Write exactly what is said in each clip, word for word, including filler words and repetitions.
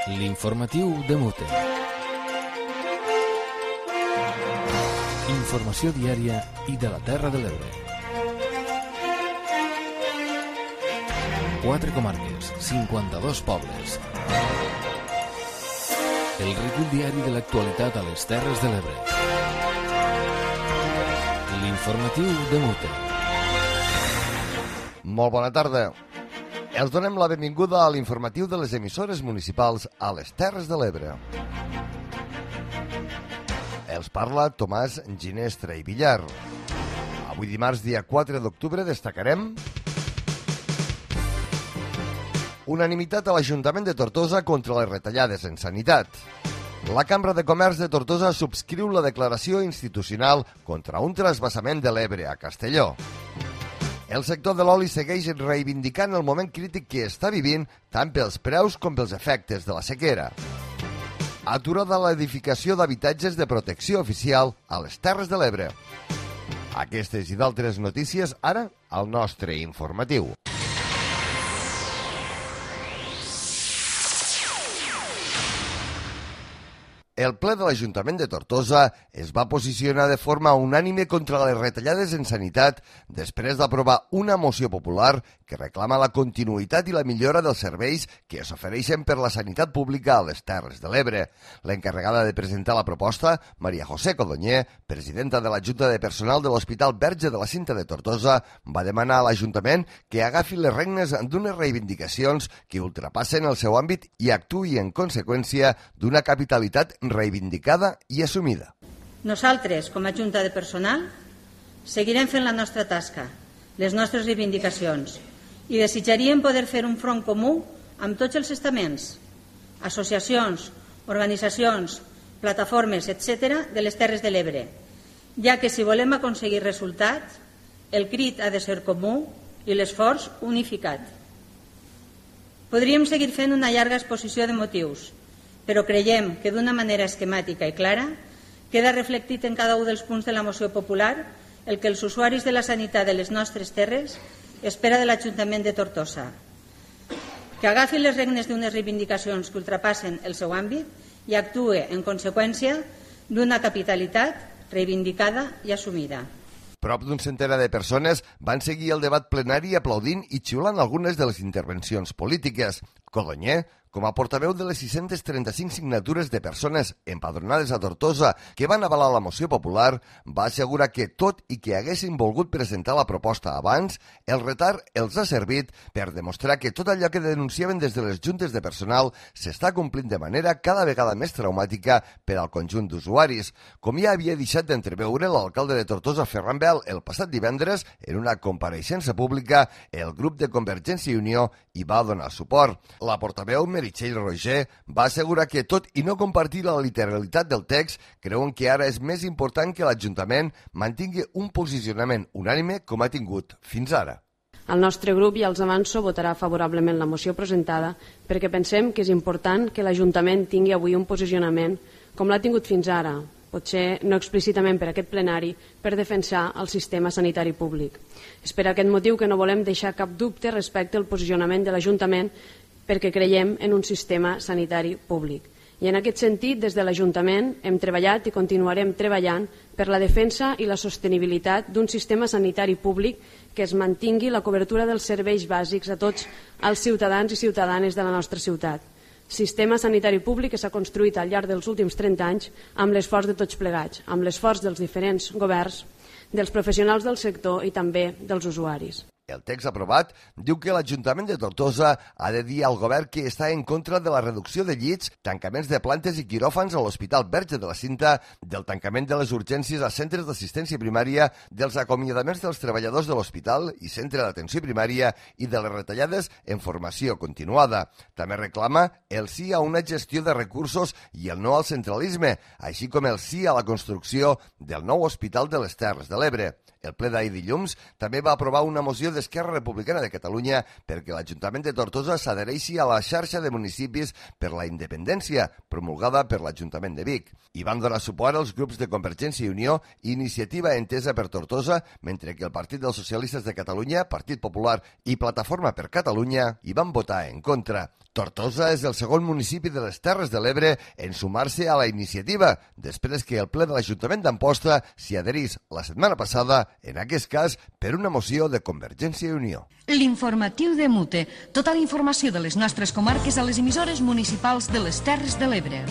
L'informatiu de Mute. Informació diària i de la Terra de l'Ebre. Quatre comarques, cinquanta-dos pobles. El recull diari de l'actualitat a les Terres de l'Ebre. L'informatiu de Mute. Molt bona tarda. Els donem la benvinguda a l'informatiu de les emissores municipals a les Terres de l'Ebre. Els parla Tomàs Ginestra i Villar. Avui dimarts, dia quatre d'octubre, destacarem unanimitat a l'Ajuntament de Tortosa contra les retallades en sanitat. La Cambra de Comerç de Tortosa subscriu la declaració institucional contra un trasbassament de l'Ebre a Castelló. El sector de l'oli segueix reivindicant el moment crític que està vivint tant pels preus com pels efectes de la sequera. Aturada l'edificació d'habitatges de protecció oficial a les Terres de l'Ebre. Aquestes i d'altres notícies ara al nostre informatiu. El ple de l'Ajuntament de Tortosa es va posicionar de forma unànime contra les retallades en sanitat després d'aprovar una moció popular que reclama la continuïtat i la millora dels serveis que s'ofereixen per la sanitat pública a les Terres de l'Ebre. L'encarregada de presentar la proposta, Maria José Codonyer, presidenta de la Junta de Personal de l'Hospital Verge de la Cinta de Tortosa, va demanar a l'Ajuntament que agafi les regnes d'unes reivindicacions que ultrapassen el seu àmbit i actuï en conseqüència d'una capitalitat reivindicada i assumida. Nosaltres, com a Junta de Personal, seguirem fent la nostra tasca, les nostres reivindicacions, i desitjaríem poder fer un front comú amb tots els estaments, associacions, organitzacions, plataformes, etcètera, de les Terres de l'Ebre, ja que si volem aconseguir resultats, el crit ha de ser comú i l'esforç unificat. Podríem seguir fent una llarga exposició de motius, però creiem que d'una manera esquemàtica i clara queda reflectit en cada un dels punts de la moció popular el que els usuaris de la sanitat de les nostres terres espera de l'Ajuntament de Tortosa, que agafi les regnes d'unes reivindicacions que ultrapassen el seu àmbit i actuï en conseqüència d'una capitalitat reivindicada i assumida. Prop d'un centenar de persones van seguir el debat plenari aplaudint i xiulant algunes de les intervencions polítiques. Codonyer, com a portaveu de les sis-centes trenta-cinc signatures de persones empadronades a Tortosa que van avalar la moció popular, va assegurar que tot i que haguessin volgut presentar la proposta abans, el retard els ha servit per demostrar que tot allò que denunciaven des de les juntes de personal s'està complint de manera cada vegada més traumàtica per al conjunt d'usuaris, com ja havia deixat d'entreveure l'alcalde de Tortosa, Ferran Bel, el passat divendres, en una compareixença pública, el grup de Convergència i Unió hi va donar suport. La portaveu Meritxell Roger va assegurar que, tot i no compartir la literalitat del text, creuen que ara és més important que l'Ajuntament mantingui un posicionament unànime com ha tingut fins ara. El nostre grup, ja els avanço, votarà favorablement la moció presentada perquè pensem que és important que l'Ajuntament tingui avui un posicionament com l'ha tingut fins ara, potser no explícitament per aquest plenari, per defensar el sistema sanitari públic. És per aquest motiu que no volem deixar cap dubte respecte al posicionament de l'Ajuntament perquè creiem en un sistema sanitari públic. I en aquest sentit, des de l'Ajuntament hem treballat i continuarem treballant per la defensa i la sostenibilitat d'un sistema sanitari públic que es mantingui la cobertura dels serveis bàsics a tots els ciutadans i ciutadanes de la nostra ciutat. Sistema sanitari públic que s'ha construït al llarg dels últims trenta anys amb l'esforç de tots plegats, amb l'esforç dels diferents governs, dels professionals del sector i també dels usuaris. El text aprovat diu que l'Ajuntament de Tortosa ha de dir al govern que està en contra de la reducció de llits, tancaments de plantes i quiròfans a l'Hospital Verge de la Cinta, del tancament de les urgències a centres d'assistència primària, dels acomiadaments dels treballadors de l'hospital i centre d'atenció primària i de les retallades en formació continuada. També reclama el sí a una gestió de recursos i el no al centralisme, així com el sí a la construcció del nou Hospital de les Terres de l'Ebre. El ple d'ahir dilluns també va aprovar una moció d'Esquerra Republicana de Catalunya perquè l'Ajuntament de Tortosa s'adhereixi a la xarxa de municipis per la independència, promulgada per l'Ajuntament de Vic. Hi van donar suport els grups de Convergència i Unió i Iniciativa Entesa per Tortosa, mentre que el Partit dels Socialistes de Catalunya, Partit Popular i Plataforma per Catalunya hi van votar en contra. Tortosa és el segon municipi de les Terres de l'Ebre en sumar-se a la iniciativa, després que el ple de l'Ajuntament d'Amposta s'hi adherís la setmana passada, en aquest cas per una moció de Convergència i Unió. L'informatiu de Mute. Tota la informació de les nostres comarques a les emissores municipals de les Terres de l'Ebre.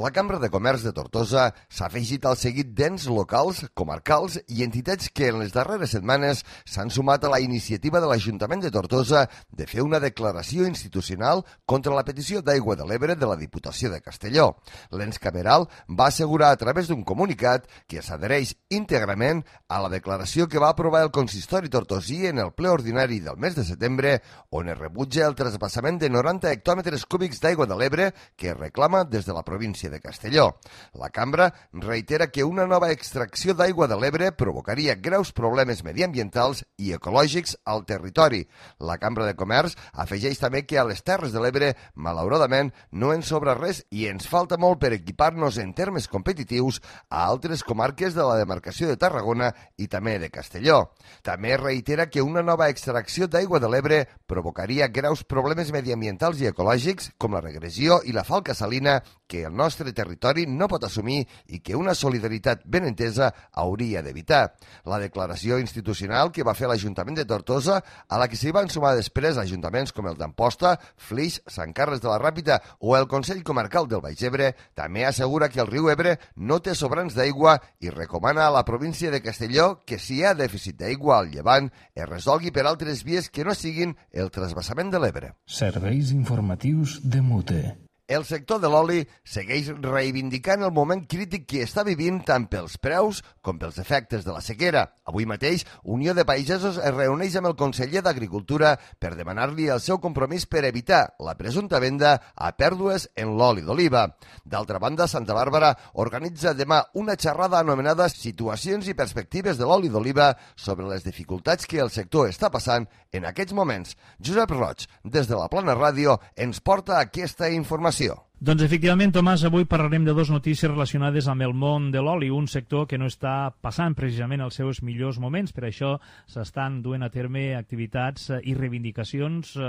La Cambra de Comerç de Tortosa s'ha afegit al seguit d'ens locals, comarcals i entitats que en les darreres setmanes s'han sumat a la iniciativa de l'Ajuntament de Tortosa de fer una declaració institucional contra la petició d'aigua de l'Ebre de la Diputació de Castelló. L'ens cameral va assegurar a través d'un comunicat que s'adhereix íntegrament a la declaració que va aprovar el consistori tortosí en el ple ordinari del mes de setembre, on es rebutja el trasbassament de noranta hectòmetres cúbics d'aigua de l'Ebre que es reclama des de la província de Castelló. La cambra reitera que una nova extracció d'aigua de l'Ebre provocaria greus problemes mediambientals i ecològics al territori. La Cambra de Comerç afegeix també que a les Terres de l'Ebre, malauradament, no ens sobra res i ens falta molt per equipar-nos en termes competitius a altres comarques de la demarcació de Tarragona i també de Castelló. També reitera que una nova extracció d'aigua de l'Ebre provocaria greus problemes mediambientals i ecològics com la regressió i la falca salina que el nostre territori no pot assumir i que una solidaritat ben entesa hauria d'evitar. La declaració institucional que va fer l'Ajuntament de Tortosa, a la que s'hi van sumar després ajuntaments com el d'Amposta, Flix, Sant Carles de la Ràpita o el Consell Comarcal del Baix Ebre, també assegura que el riu Ebre no té sobrants d'aigua i recomana a la província de Castelló que si hi ha dèficit d'aigua al llevant es resolgui per altres vies que no siguin el trasbassament de l'Ebre. Serveis informatius de Mute. El sector de l'oli segueix reivindicant el moment crític que està vivint tant pels preus com pels efectes de la sequera. Avui mateix, Unió de Pagesos es reuneix amb el conseller d'Agricultura per demanar-li el seu compromís per evitar la presumpta venda a pèrdues en l'oli d'oliva. D'altra banda, Santa Bàrbara organitza demà una xerrada anomenada Situacions i perspectives de l'oli d'oliva sobre les dificultats que el sector està passant en aquests moments. Josep Roig, des de la Plana Ràdio, ens porta aquesta informació. Doncs efectivament, Tomàs, avui parlarem de dues notícies relacionades amb el món de l'oli, un sector que no està passant precisament els seus millors moments. Per això s'estan duent a terme activitats i reivindicacions eh,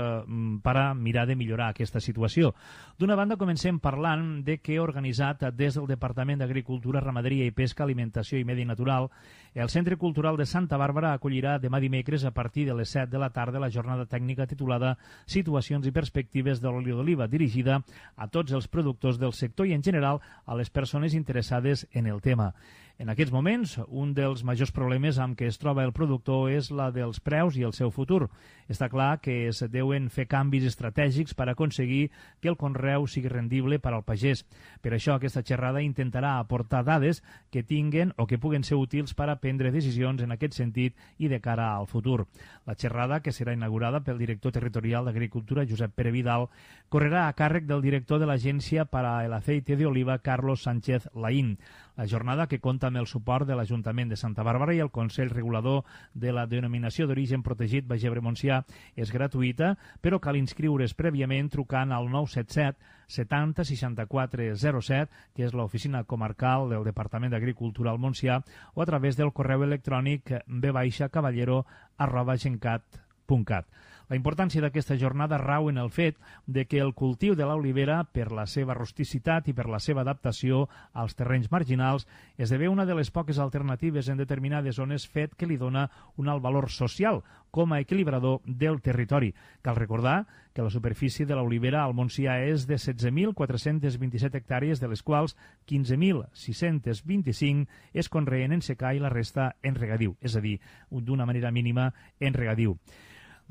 per a mirar de millorar aquesta situació. D'una banda, comencem parlant de que ha organitzat des del Departament d'Agricultura, Ramaderia i Pesca, Alimentació i Medi Natural, el Centre Cultural de Santa Bàrbara acollirà demà dimecres a partir de les set de la tarda la jornada tècnica titulada Situacions i perspectives de l'oli d'oliva, dirigida a tots els productors del sector i, en general, a les persones interessades en el tema. En aquests moments, un dels majors problemes amb què es troba el productor és la dels preus i el seu futur. Està clar que es deuen fer canvis estratègics per aconseguir que el conreu sigui rendible per al pagès. Per això, aquesta xerrada intentarà aportar dades que tinguen o que puguen ser útils per a prendre decisions en aquest sentit i de cara al futur. La xerrada, que serà inaugurada pel director territorial d'Agricultura, Josep Pere Vidal, correrà a càrrec del director de l'Agència para el Aceite de Oliva, Carlos Sánchez Laín. La jornada, que compta amb el suport de l'Ajuntament de Santa Bàrbara i el Consell Regulador de la Denominació d'Origen Protegit Baix Ebre-Montsià, és gratuïta, però cal inscriure's prèviament trucant al nou set set setanta seixanta-quatre zero set, que és l'oficina comarcal del Departament d'Agricultura al Montsià, o a través del correu electrònic b cavallero arroba gencat punt cat. La importància d'aquesta jornada rau en el fet de que el cultiu de l'olivera, per la seva rusticitat i per la seva adaptació als terrenys marginals, esdevé una de les poques alternatives en determinades zones, fet que li dona un alt valor social com a equilibrador del territori. Cal recordar que la superfície de l'olivera al Montsià és de setze mil quatre-cents vint-i-set hectàrees, de les quals quinze mil sis-cents vint-i-cinc es conreen en secà i la resta en regadiu, és a dir, d'una manera mínima en regadiu.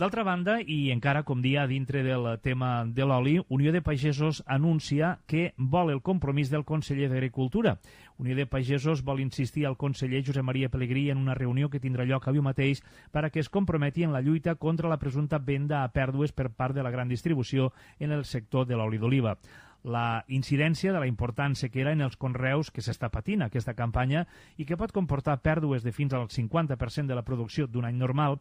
D'altra banda, i encara com dia dintre del tema de l'oli, Unió de Pagesos anuncia que vol el compromís del conseller d'Agricultura. Unió de Pagesos vol insistir al conseller Josep Maria Pelegrí en una reunió que tindrà lloc avui mateix per a que es comprometi en la lluita contra la presumpta venda a pèrdues per part de la gran distribució en el sector de l'oli d'oliva. la incidència de la important sequera en els conreus que s'està patint aquesta campanya i que pot comportar pèrdues de fins al cinquanta per cent de la producció d'un any normal,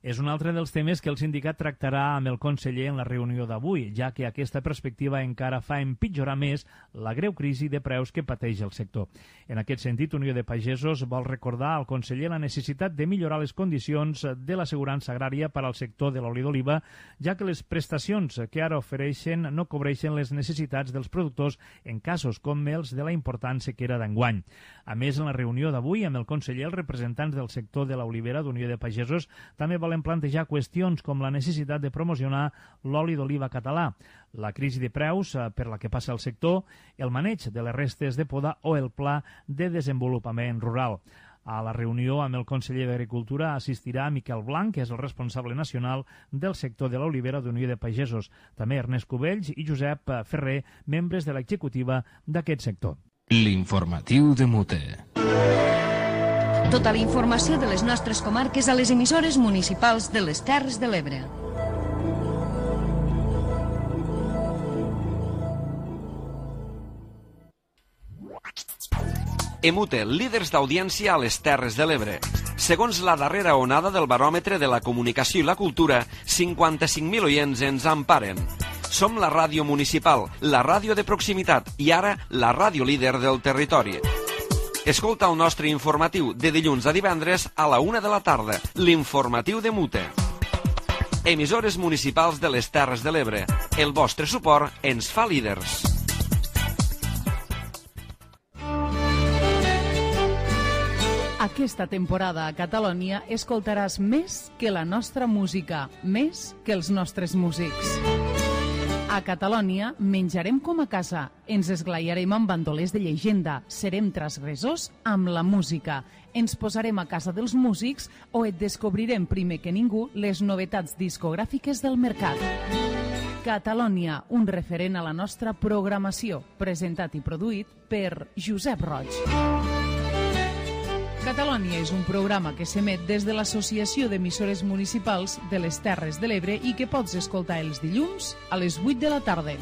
és un altre dels temes que el sindicat tractarà amb el conseller en la reunió d'avui, ja que aquesta perspectiva encara fa empitjorar més la greu crisi de preus que pateix el sector. En aquest sentit, Unió de Pagesos vol recordar al conseller la necessitat de millorar les condicions de l'assegurança agrària per al sector de l'oli d'oliva, ja que les prestacions que ara ofereixen no cobreixen les necessitats dels productors en casos com els de la important sequera d'enguany. A més, en la reunió d'avui amb el conseller, els representants del sector de l'olivera d'Unió de Pagesos també volen plantejar qüestions com la necessitat de promocionar l'oli d'oliva català, la crisi de preus per la que passa el sector, el maneig de les restes de poda o el pla de desenvolupament rural. A la reunió amb el conseller d'Agricultura assistirà Miquel Blanc, que és el responsable nacional del sector de l'olivera d'Unió de Pagesos, també Ernest Cubells i Josep Ferrer, membres de l'executiva d'aquest sector. L'informatiu de Mute. Tota la informació de les nostres comarques a les emissores municipals de les Terres de l'Ebre. Emute, líders d'audiència a les Terres de l'Ebre. Segons la darrera onada del baròmetre de la comunicació i la cultura, cinquanta-cinc mil oients ens emparen. Som la ràdio municipal, la ràdio de proximitat i ara la ràdio líder del territori. Escolta el nostre informatiu de dilluns a divendres a la una de la tarda, l'informatiu de Mute. Emissores municipals de les Terres de l'Ebre. El vostre suport ens fa líders. Aquesta temporada a Catalunya escoltaràs més que la nostra música, més que els nostres músics. A Catalunya menjarem com a casa, ens esglaiarem amb bandolers de llegenda, serem transgressors amb la música, ens posarem a casa dels músics o et descobrirem primer que ningú les novetats discogràfiques del mercat. Catalunya, un referent a la nostra programació, presentat i produït per Josep Roig. Catalunya és un programa que s'emet des de l'Associació d'Emissores Municipals de les Terres de l'Ebre i que pots escoltar els dilluns a les vuit de la tarda.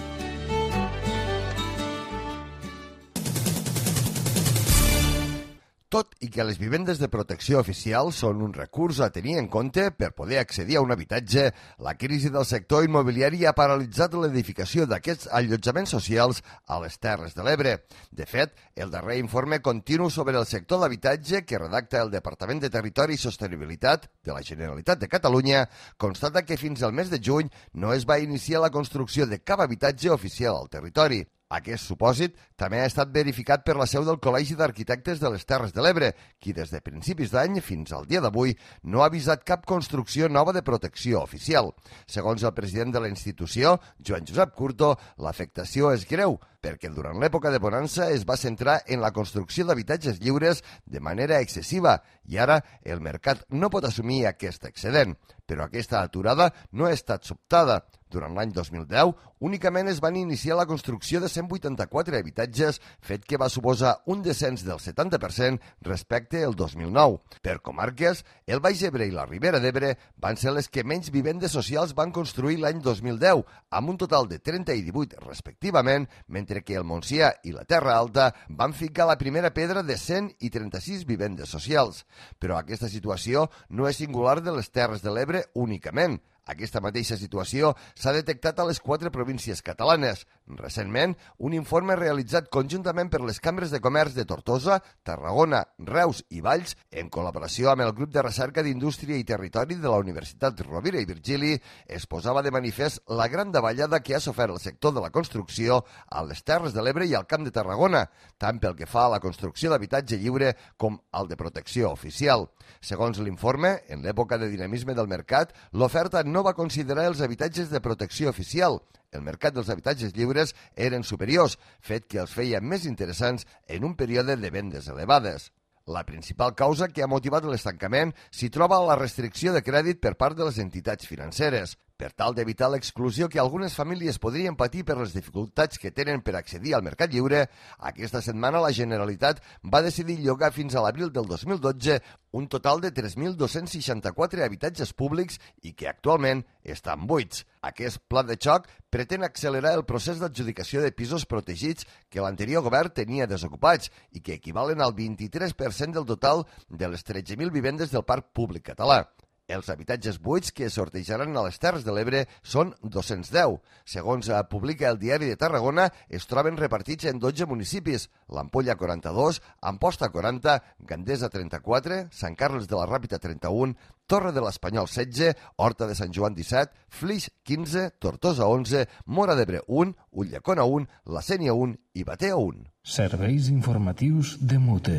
Tot i que les vivendes de protecció oficial són un recurs a tenir en compte per poder accedir a un habitatge, la crisi del sector immobiliari ha paralitzat l'edificació d'aquests allotjaments socials a les Terres de l'Ebre. De fet, el darrer informe continu sobre el sector d'habitatge que redacta el Departament de Territori i Sostenibilitat de la Generalitat de Catalunya constata que fins al mes de juny no es va iniciar la construcció de cap habitatge oficial al territori. Aquest supòsit també ha estat verificat per la seu del Col·legi d'Arquitectes de les Terres de l'Ebre, qui des de principis d'any fins al dia d'avui no ha avisat cap construcció nova de protecció oficial. Segons el president de la institució, Joan Josep Curto, l'afectació és greu, perquè durant l'època de bonança es va centrar en la construcció d'habitatges lliures de manera excessiva i ara el mercat no pot assumir aquest excedent. Però aquesta aturada no ha estat sobtada. Durant l'any dos mil deu, únicament es van iniciar la construcció de cent vuitanta-quatre habitatges, fet que va suposar un descens del setanta per cent respecte al dos mil nou. Per comarques, el Baix Ebre i la Ribera d'Ebre van ser les que menys vivendes socials van construir l'any dos mil deu, amb un total de trenta i divuit respectivament, mentre que el Montsià i la Terra Alta van ficar la primera pedra de cent i trenta-sis vivendes socials. Però aquesta situació no és singular de les Terres de l'Ebre únicament. Aquesta mateixa situació s'ha detectat a les quatre províncies catalanes. Recentment, un informe realitzat conjuntament per les cambres de comerç de Tortosa, Tarragona, Reus i Valls, en col·laboració amb el grup de recerca d'Indústria i Territori de la Universitat Rovira i Virgili, es posava de manifest la gran davallada que ha sofert el sector de la construcció a les Terres de l'Ebre i al Camp de Tarragona, tant pel que fa a la construcció d'habitatge lliure com al de protecció oficial. Segons l'informe, en l'època de dinamisme del mercat, l'oferta no va considerar els habitatges de protecció oficial. El mercat dels habitatges lliures eren superiors, fet que els feia més interessants en un període de vendes elevades. La principal causa que ha motivat l'estancament s'hi troba la restricció de crèdit per part de les entitats financeres. Per tal d'evitar l'exclusió que algunes famílies podrien patir per les dificultats que tenen per accedir al mercat lliure, aquesta setmana la Generalitat va decidir llogar fins a l'abril del dos mil dotze un total de tres mil dos-cents seixanta-quatre habitatges públics i que actualment estan buits. Aquest pla de xoc pretén accelerar el procés d'adjudicació de pisos protegits que l'anterior govern tenia desocupats i que equivalen al vint-i-tres per cent del total de les tretze mil vivendes del parc públic català. Els habitatges buits que sortejaran a les Terres de l'Ebre són dos-cents deu. Segons publica el Diari de Tarragona, es troben repartits en dotze municipis: l'Ampolla quaranta-dos, Amposta quaranta, Gandesa trenta-quatre, Sant Carles de la Ràpita trenta-un, Torre de l'Espanyol setze, Horta de Sant Joan disset, Flix quinze, Tortosa onze, Móra d'Ebre un, Ulldecona un, La Sénia un i Batea un. Serveis informatius de Mute.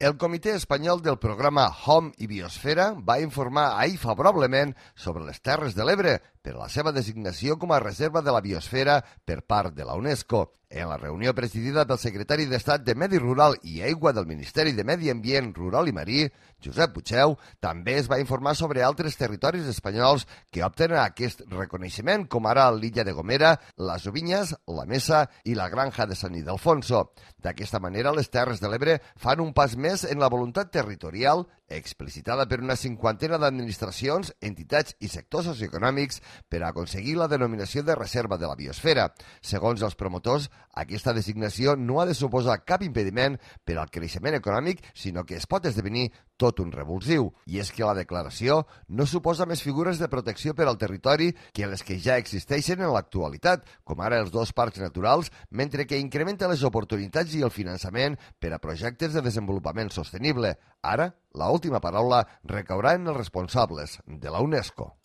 El Comitè Espanyol del programa Home i Biosfera va informar ahir favorablement sobre les Terres de l'Ebre per la seva designació com a reserva de la biosfera per part de la UNESCO. En la reunió presidida pel secretari d'Estat de Medi Rural i Aigua del Ministeri de Medi Ambient, Rural i Marí, Josep Puigdeu, també es va informar sobre altres territoris espanyols que opten a aquest reconeixement, com ara l'illa de Gomera, les Ovinyes, la Mesa i la Granja de Sant Ildefonso. D'aquesta manera, les Terres de l'Ebre fan un pas més en la voluntat territorial explicitada per una cinquantena d'administracions, entitats i sectors socioeconòmics per aconseguir la denominació de reserva de la biosfera. Segons els promotors, aquesta designació no ha de suposar cap impediment per al creixement econòmic, sinó que es pot esdevenir tot un revulsiu. I és que la declaració no suposa més figures de protecció per al territori que les que ja existeixen en l'actualitat, com ara els dos parcs naturals, mentre que incrementa les oportunitats i el finançament per a projectes de desenvolupament sostenible. Ara, l'última paraula recaurà en els responsables de la UNESCO.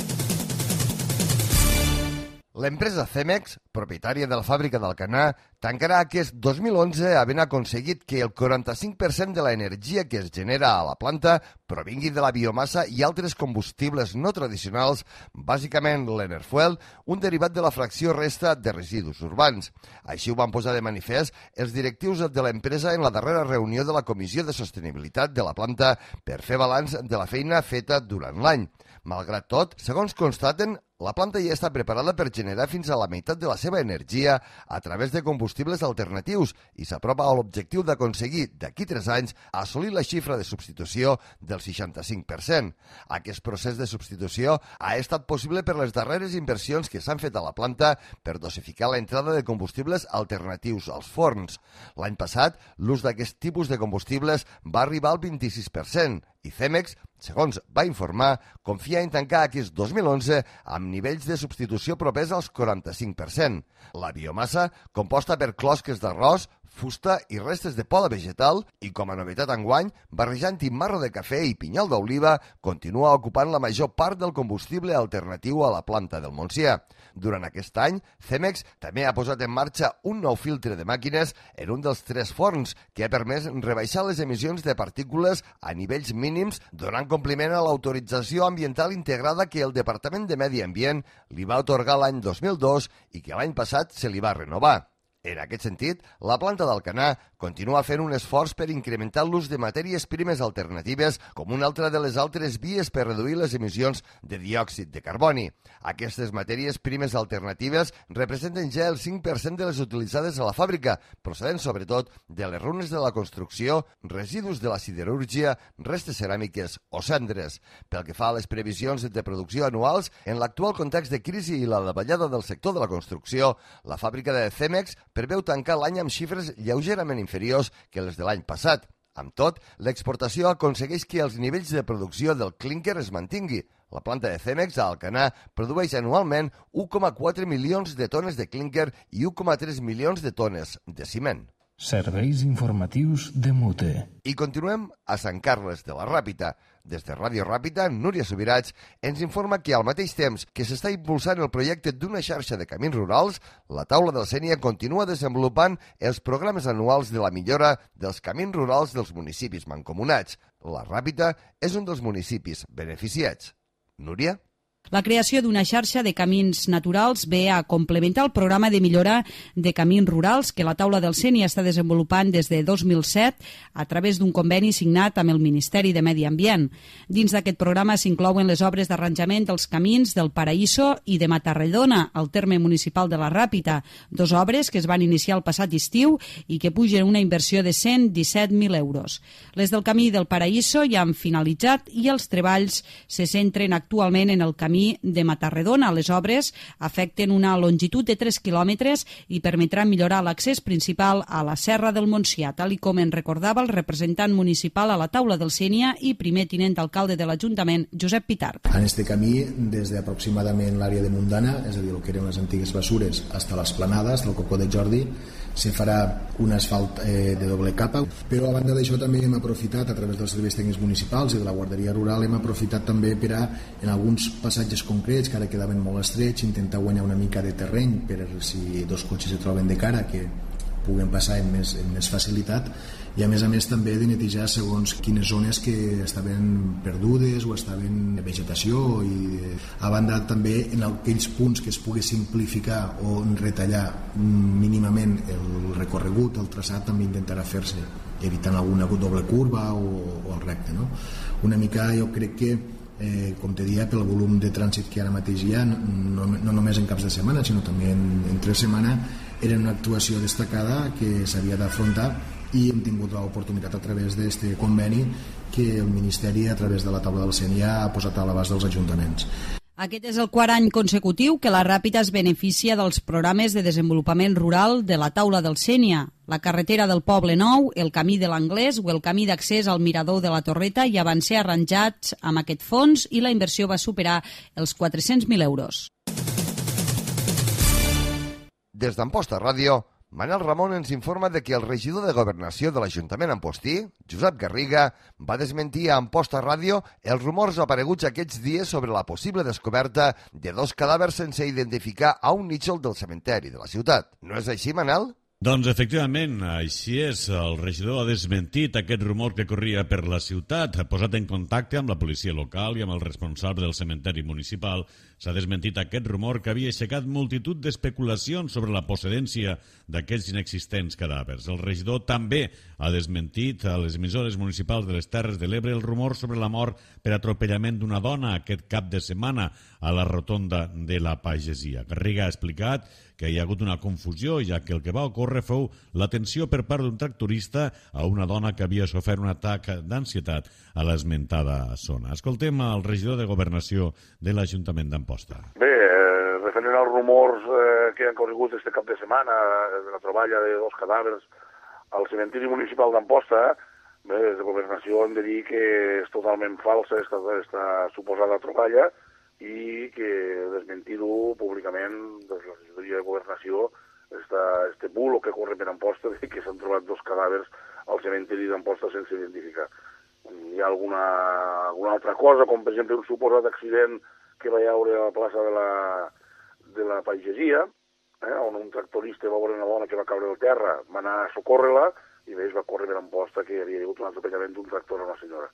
L'empresa Cemex, propietària de la fàbrica d'Alcanar, tancarà aquest dos mil onze havent aconseguit que el quaranta-cinc per cent de l'energia que es genera a la planta provingui de la biomassa i altres combustibles no tradicionals, bàsicament l'Enerfuel, un derivat de la fracció resta de residus urbans. Així ho van posar de manifest els directius de l'empresa en la darrera reunió de la Comissió de Sostenibilitat de la planta per fer balanç de la feina feta durant l'any. Malgrat tot, segons constaten, la planta ja està preparada per generar fins a la meitat de la seva energia a través de combustibles alternatius i s'apropa a l'objectiu d'aconseguir, d'aquí tres anys, assolir la xifra de substitució del seixanta-cinc per cent. Aquest procés de substitució ha estat possible per les darreres inversions que s'han fet a la planta per dosificar l'entrada de combustibles alternatius als forns. L'any passat, l'ús d'aquest tipus de combustibles va arribar al vint-i-sis per cent i Cemex, segons va informar, confia en tancar aquest dos mil onze amb nivells de substitució propers als quaranta-cinc per cent. La biomassa, composta per closques d'arròs, fusta i restes de poda vegetal i, com a novetat enguany, barrejant-hi marro de cafè i pinyol d'oliva, continua ocupant la major part del combustible alternatiu a la planta del Montsià. Durant aquest any, Cemex també ha posat en marxa un nou filtre de màquines en un dels tres forns que ha permès rebaixar les emissions de partícules a nivells mínims, donant compliment a l'autorització ambiental integrada que el Departament de Medi Ambient li va atorgar l'any dos mil dos i que l'any passat se li va renovar. En aquest sentit, la planta d'Alcanar continua fent un esforç per incrementar l'ús de matèries primes alternatives com una altra de les altres vies per reduir les emissions de diòxid de carboni. Aquestes matèries primes alternatives representen ja el cinc per cent de les utilitzades a la fàbrica, procedent sobretot de les runes de la construcció, residus de la siderúrgia, restes ceràmiques o cendres. Pel que fa a les previsions de producció anuals, en l'actual context de crisi i la davallada del sector de la construcció, la fàbrica de Cemex preveu tancar l'any amb xifres lleugerament inferiors que les de l'any passat. Amb tot, l'exportació aconsegueix que els nivells de producció del clínquer es mantingui. La planta de Cemex a Alcanar produeix anualment u coma quatre milions de tones de clínquer i u coma tres milions de tones de ciment. Serveis informatius de Mute. I continuem a Sant Carles de la Ràpita. Des de Ràdio Ràpita, Núria Subirats ens informa que al mateix temps que s'està impulsant el projecte d'una xarxa de camins rurals, la taula de la Sénia continua desenvolupant els programes anuals de la millora dels camins rurals dels municipis mancomunats. La Ràpita és un dels municipis beneficiats. Núria? La creació d'una xarxa de camins naturals ve a complementar el programa de millora de camins rurals que la taula del Sénia està desenvolupant des de dos mil set a través d'un conveni signat amb el Ministeri de Medi Ambient. Dins d'aquest programa s'inclouen les obres d'arranjament dels camins del Paraíso i de Matarredona, al terme municipal de la Ràpita, dos obres que es van iniciar el passat estiu i que pugen una inversió de cent disset mil euros. Les del camí del Paraíso ja han finalitzat i els treballs se centren actualment en el camí de Matarredona. Les obres afecten una longitud de tres quilòmetres i permetran millorar l'accés principal a la Serra del Montsià, tal i com en recordava el representant municipal a la taula del Sénia i primer tinent alcalde de l'Ajuntament, Josep Pitart. En este camí, des d'aproximadament l'àrea de Mundana, és a dir, el que eren les antigues bessures, fins a les planades del Cocó de Jordi, se farà un asfalt eh, de doble capa, però a banda d'això també hem aprofitat a través dels serveis tècnics municipals i de la Guarderia Rural, hem aprofitat també per a, en alguns passatges concrets que ara quedaven molt estrets, intentar guanyar una mica de terreny per si dos cotxes se troben de cara que puguen passar amb més, amb més facilitat, i a més a més també de netejar segons quines zones que estaven perdudes o estaven en vegetació, i a banda també en aquells punts que es pugui simplificar o retallar mínimament el recorregut, el traçat, també intentarà fer-se evitant alguna doble curva o, o el recte, no? Una mica jo crec que Eh, com te dia, pel volum de trànsit que ara mateix hi ha, no, no només en caps de setmana sinó també en, en tres setmanes, era una actuació destacada que s'havia d'afrontar, i hem tingut l'oportunitat a través d'aquest conveni que el Ministeri a través de la taula del Sénia ha posat a l'abast dels ajuntaments. Aquest és el quart any consecutiu que la Ràpita es beneficia dels programes de desenvolupament rural de la taula del Sénia. La carretera del Poble Nou, el camí de l'Anglès o el camí d'accés al mirador de la Torreta ja van ser arranjats amb aquest fons i la inversió va superar els quatre-cents mil euros. Des d'Amposta Ràdio, Manel Ramon ens informa de que el regidor de Governació de l'Ajuntament Ampostí, Josep Garriga, va desmentir a Amposta Ràdio els rumors apareguts aquests dies sobre la possible descoberta de dos cadàvers sense identificar a un nítxol del cementeri de la ciutat. No és així, Manel? Doncs efectivament, així és. El regidor ha desmentit aquest rumor que corria per la ciutat, ha posat en contacte amb la policia local i amb el responsable del cementeri municipal. S'ha desmentit aquest rumor que havia aixecat multitud d'especulacions sobre la procedència d'aquests inexistents cadàvers. El regidor també ha desmentit a les emissores municipals de les Terres de l'Ebre el rumor sobre la mort per atropellament d'una dona aquest cap de setmana a la rotonda de la Pagesia. Garriga ha explicat que hi ha hagut una confusió, ja que el que va ocórrer fou l'atenció per part d'un tractorista a una dona que havia sofert un atac d'ansietat a l'esmentada zona. Escoltem el regidor de Governació de l'Ajuntament d'Amposta. Bé, eh, referent als rumors eh, que han corregut este cap de setmana de la troballa de dos cadàvers al cementiri municipal d'Amposta, bé, des de Governació hem de dir que és totalment falsa esta, esta suposada troballa, i que desmentir-ho públicament des de la regidoria de Governació esta, este bulo que corre per Amposta de que s'han trobat dos cadàvers al cementiri d'Amposta sense identificar. Hi ha alguna, alguna altra cosa, com per exemple un suposat accident que va haure a la plaça de la, de la Pagesia, eh, on un tractorista va veure una dona que va caure al terra, va anar a socórrer-la i bé, es va córrer per Amposta que hi havia hagut un atropellament d'un tractor a una senyora.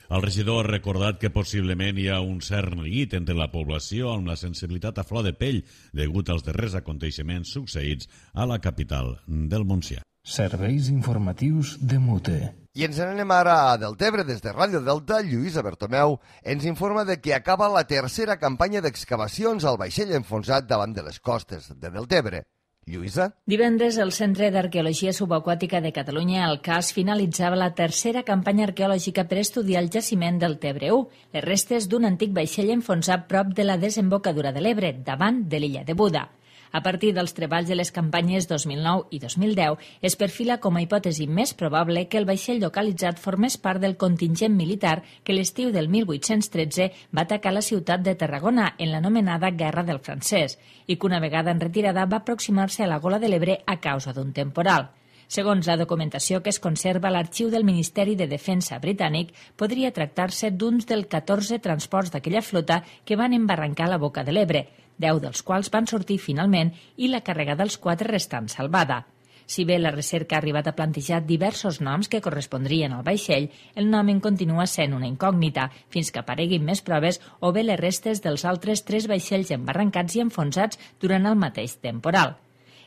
El regidor ha recordat que possiblement hi ha un cert neguit entre la població amb la sensibilitat a flor de pell degut als darrers aconteixements succeïts a la capital del Montsià. Serveis informatius de Mute. I ens anem ara a Deltebre. Des de Ràdio Delta, Lluïsa Bertomeu ens informa de que acaba la tercera campanya d'excavacions al vaixell enfonsat davant de les costes de Deltebre. Lluïsa? Divendres, el Centre d'Arqueologia Subaquàtica de Catalunya, el C A S, finalitzava la tercera campanya arqueològica per estudiar el jaciment del Tebre u, les restes d'un antic vaixell enfonsat prop de la desembocadura de l'Ebre, davant de l'illa de Buda. A partir dels treballs de les campanyes dos mil nou i dos mil deu, es perfila com a hipòtesi més probable que el vaixell localitzat formés part del contingent militar que l'estiu del mil vuit-cents tretze va atacar la ciutat de Tarragona en l'anomenada Guerra del Francès i que una vegada en retirada va aproximar-se a la Gola de l'Ebre a causa d'un temporal. Segons la documentació que es conserva a l'arxiu del Ministeri de Defensa britànic, podria tractar-se d'uns dels catorze transports d'aquella flota que van embarrancar a la boca de l'Ebre, deu dels quals van sortir finalment i la càrrega dels quatre restants salvada. Si bé la recerca ha arribat a plantejar diversos noms que correspondrien al vaixell, el nomen continua sent una incògnita, fins que apareguin més proves o bé les restes dels altres tres vaixells embarrancats i enfonsats durant el mateix temporal.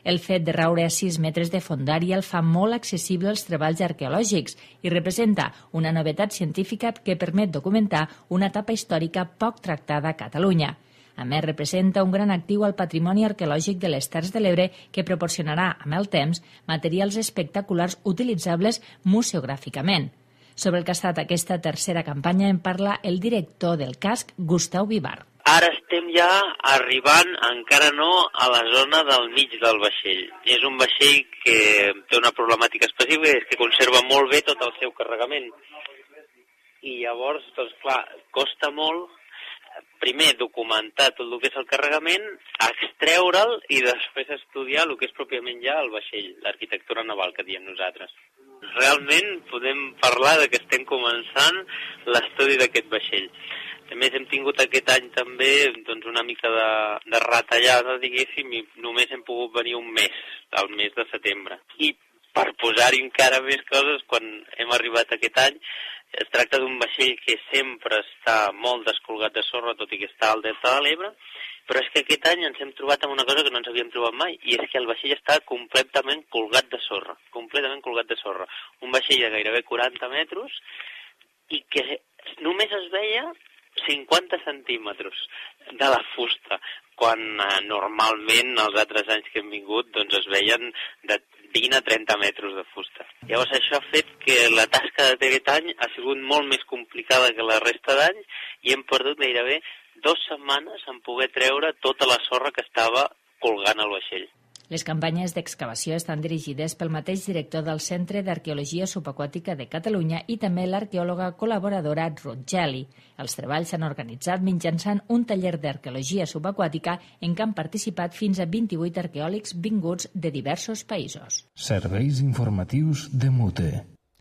El fet de raure a sis metres de fondària el fa molt accessible als treballs arqueològics i representa una novetat científica que permet documentar una etapa històrica poc tractada a Catalunya. A més, representa un gran actiu al patrimoni arqueològic de les Terres de l'Ebre que proporcionarà, amb el temps, materials espectaculars utilitzables museogràficament. Sobre el que ha estat aquesta tercera campanya en parla el director del casc, Gustau Vivar. Ara estem ja arribant, encara no, a la zona del mig del vaixell. És un vaixell que té una problemàtica específica, és que conserva molt bé tot el seu carregament. I llavors, doncs clar, costa molt, primer, documentar tot el que és el carregament, extreure'l i després estudiar el que és pròpiament ja el vaixell, l'arquitectura naval que diem nosaltres. Realment podem parlar de que estem començant l'estudi d'aquest vaixell. A més, hem tingut aquest any també doncs, una mica de, de retallada, diguéssim, i només hem pogut venir un mes, al mes de setembre. I per posar-hi encara més coses, quan hem arribat aquest any, es tracta d'un vaixell que sempre està molt descolgat de sorra, tot i que està al delta de l'Ebre, però és que aquest any ens hem trobat amb una cosa que no ens havíem trobat mai, i és que el vaixell està completament colgat de sorra, completament colgat de sorra. Un vaixell de gairebé quaranta metres i que només es veia cinquanta centímetres de la fusta, quan eh, normalment els altres anys que hem vingut doncs es veien de vint a trenta metres de fusta. Llavors això ha fet que la tasca d'aquest any ha sigut molt més complicada que la resta d'anys i hem perdut gairebé dues setmanes en poder treure tota la sorra que estava colgant al vaixell. Les campanyes d'excavació estan dirigides pel mateix director del Centre d'Arqueologia Subaquàtica de Catalunya i també l'arqueòloga col·laboradora Ruth Geli. Els treballs s'han organitzat mitjançant un taller d'arqueologia subaquàtica en què han participat fins a vint-i-vuit arqueòlegs vinguts de diversos països. Serveis informatius de Mute.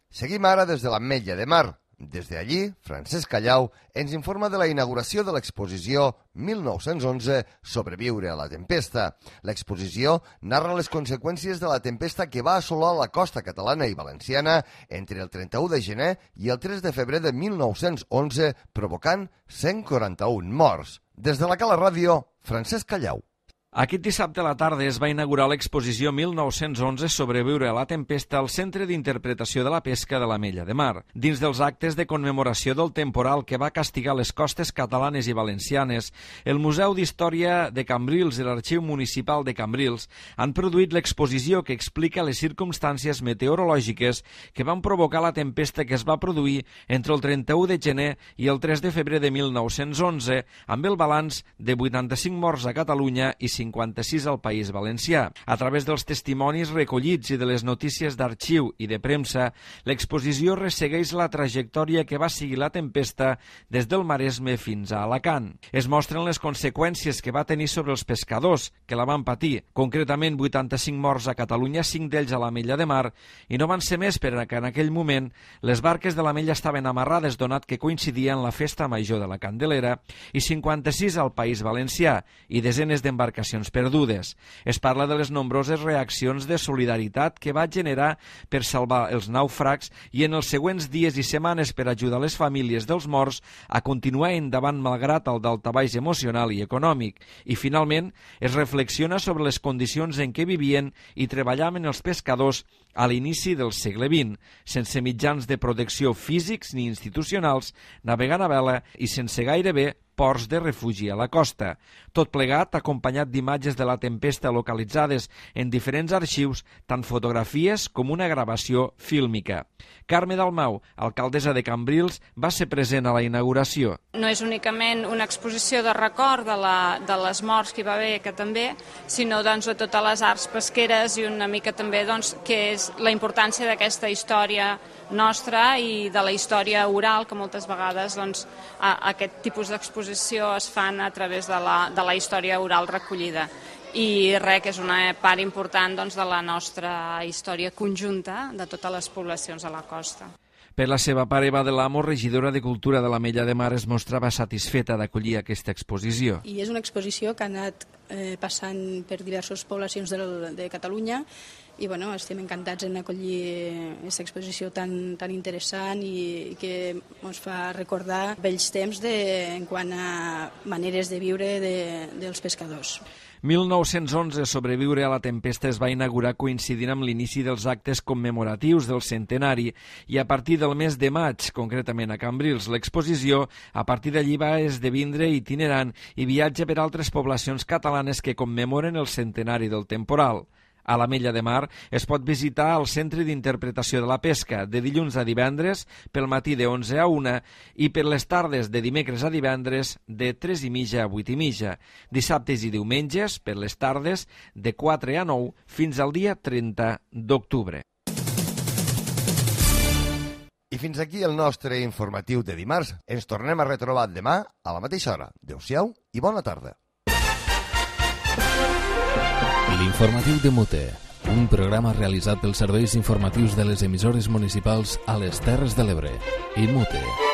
Seguim ara des de l'Ametlla de Mar. Des d'allí, Francesc Callau ens informa de la inauguració de l'exposició mil nou-cents onze Sobreviure a la tempesta. L'exposició narra les conseqüències de la tempesta que va assolar la costa catalana i valenciana entre el trenta-u de gener i el tres de febrer de mil nou-cents onze, provocant cent quaranta-un morts. Des de la Cala Ràdio, Francesc Callau. Aquest dissabte a la tarda es va inaugurar l'exposició mil nou-cents onze Sobreviure a la tempesta al Centre d'Interpretació de la Pesca de l'Ametlla de Mar. Dins dels actes de commemoració del temporal que va castigar les costes catalanes i valencianes, el Museu d'Història de Cambrils i l'Arxiu Municipal de Cambrils han produït l'exposició que explica les circumstàncies meteorològiques que van provocar la tempesta que es va produir entre el trenta-u de gener i el tres de febrer de mil nou-cents onze, amb el balanç de vuitanta-cinc morts a Catalunya i cinquanta-sis al País Valencià. A través dels testimonis recollits i de les notícies d'arxiu i de premsa, l'exposició ressegueix la trajectòria que va seguir la tempesta des del Maresme fins a Alacant. Es mostren les conseqüències que va tenir sobre els pescadors, que la van patir, concretament vuitanta-cinc morts a Catalunya, cinc d'ells a l'Ametlla de Mar, i no van ser més perquè en aquell moment les barques de l'Ametlla estaven amarrades donat que coincidia en la festa major de la Candelera, i cinquanta-sis al País Valencià, i desenes d'embarcacions perdudes. Es parla de les nombroses reaccions de solidaritat que va generar per salvar els nàufrags i en els següents dies i setmanes per ajudar les famílies dels morts a continuar endavant malgrat el daltabaix emocional i econòmic. I finalment es reflexiona sobre les condicions en què vivien i treballaven els pescadors a l'inici del segle vint, sense mitjans de protecció físics ni institucionals, navegant a vela i sense gairebé ports de refugi a la costa. Tot plegat acompanyat d'imatges de la tempesta localitzades en diferents arxius, tant fotografies com una gravació fílmica. Carme Dalmau, alcaldessa de Cambrils, va ser present a la inauguració. No és únicament una exposició de record de, la, de les morts que hi va haver, que també, sinó doncs, de totes les arts pesqueres i una mica també doncs, que és la importància d'aquesta història nostra i de la història oral, que moltes vegades doncs, a, a aquest tipus d'exposició es fan a través de la, de la història oral recollida. I res, que és una part important doncs, de la nostra història conjunta de totes les poblacions de la costa. Per la seva part, Eva de l'Amo, regidora de Cultura de l'Ametlla de Mar, es mostrava satisfeta d'acollir aquesta exposició. I és una exposició que ha anat eh, passant per diverses poblacions de, de Catalunya i bueno, estem encantats en acollir aquesta exposició tan, tan interessant i, i que ens fa recordar vells temps de, en quant a maneres de viure de, dels pescadors. mil nou-cents onze, Sobreviure a la tempesta es va inaugurar coincidint amb l'inici dels actes commemoratius del centenari i a partir del mes de maig, concretament a Cambrils, l'exposició a partir d'allí va esdevindre itinerant i viatja per altres poblacions catalanes que commemoren el centenari del temporal. A l'Ametlla de Mar es pot visitar al Centre d'Interpretació de la Pesca de dilluns a divendres pel matí de onze a una i per les tardes de dimecres a divendres de tres i mitja a vuit i mitja. Dissabtes i diumenges per les tardes de quatre a nou fins al dia trenta d'octubre. I fins aquí el nostre informatiu de dimarts. Ens tornem a retrobar demà a la mateixa hora. Adéu-siau i bona tarda. L'informatiu de Mute, un programa realitzat pels serveis informatius de les emissores municipals a les Terres de l'Ebre i Mute.